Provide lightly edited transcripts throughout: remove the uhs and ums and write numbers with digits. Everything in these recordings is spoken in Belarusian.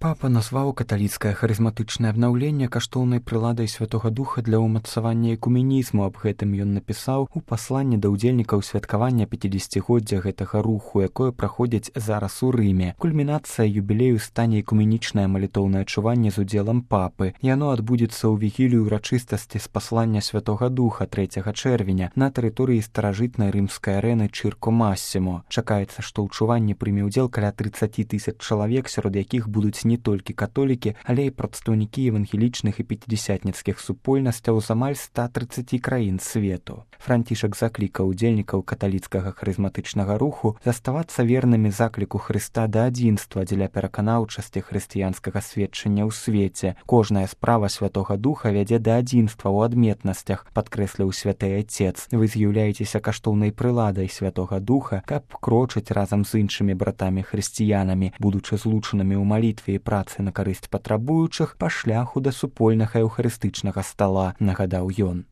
Папа назваў каталіцкае харызматычнае абнаўленне каштоўнай прыладай Святога Духа для ўмацавання экуменізму. Аб гэтым ён напісаў у пасланні да ўдзельнікаў святкавання 50-годдзя гэтага руху, якое праходзіць зараз у Рыме. Кульмінацыя юбілею стане экуменічнае малітоўнае чуванне з удзелам папы. Яно адбудзецца ў вігілію ўрачыстасці з паслання Святога Духа 3 чэрвеня на тэрыторыі старажытнай рымскай арэны Чырко Массімо. Чакаецца, што ў чуванні прыме ўдзел каля 30 000 чалавек, сярод якіх будуць не толькі католікі, але і прадстаўнікі евангелічных і пяцідзясятніцкіх супольнасцяў з амаль 130 краін свету. Францішак заклікаў удзельнікаў каталіцкага харызматычнага руху заставацца вернымі закліку Хрыста да адзінства дзеля пераканаўчасці хрысціянскага сведчання ў свеце. Кожная справа Святога Духа вядзе да адзінства ў адметнасцях, падкрэсліў святы Отец. Вы з'яўляецеся каштоўнай прыладай Святога Духа, каб крочыць разам з іншымі братамі-хрысціянамі, будучы злучанымі ў малітве і працы на карысць патрабуючых па шляху да супольнага еўхарыстычнага стала, нагадаў ён.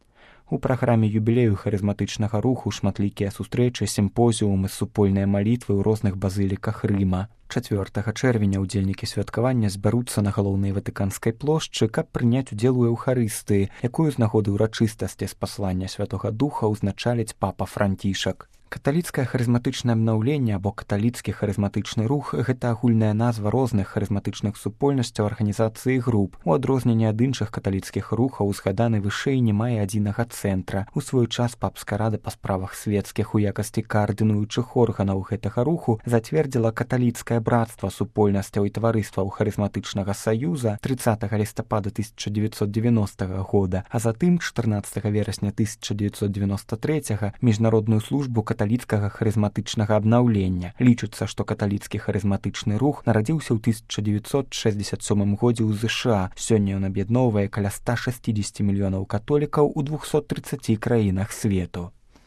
У праграме юбілею харызматычнага руху шматлікія сустрэчы, сімпозіумы, супольныя малітвы ў розных базыліках Рыма. 4 чэрвеня ўдзельнікі святкавання збяруцца на галоўнай ватыканскай плошчы, каб прыняць удзел у эўхарыстыі, якую з нагоды ўрачыстасці з паслання Святога Духа ўзначаліць папа Францішак. Каталіцкае харызматычнае абнаўленне або каталіцкі харызматычны рух – гэта агульная назва розных харызматычных супольнасцяў, арганізацый і груп. У адрозненне ад іншых каталіцкіх рухаў узгаданы вышэй не мае адзінага цэнтра. У свой час папская рада па справах свецкіх у якасці каардынуючых органаў гэтага руху зацвердзіла каталіцкае братства супольнасцяў і таварыстваў харызматычнага саюза 30 лістапада 1990 года, а затым 14 верасня 1993 міжнародную службу каталіцкага харызматычнага абнаўлення. Лічыцца, што каталіцкі харызматычны рух нарадзіўся ў 1967 годзе ў ЗША. Сёння ён аб'ядноўвае каля 160 мільёнаў католікаў у 230 краінах свету.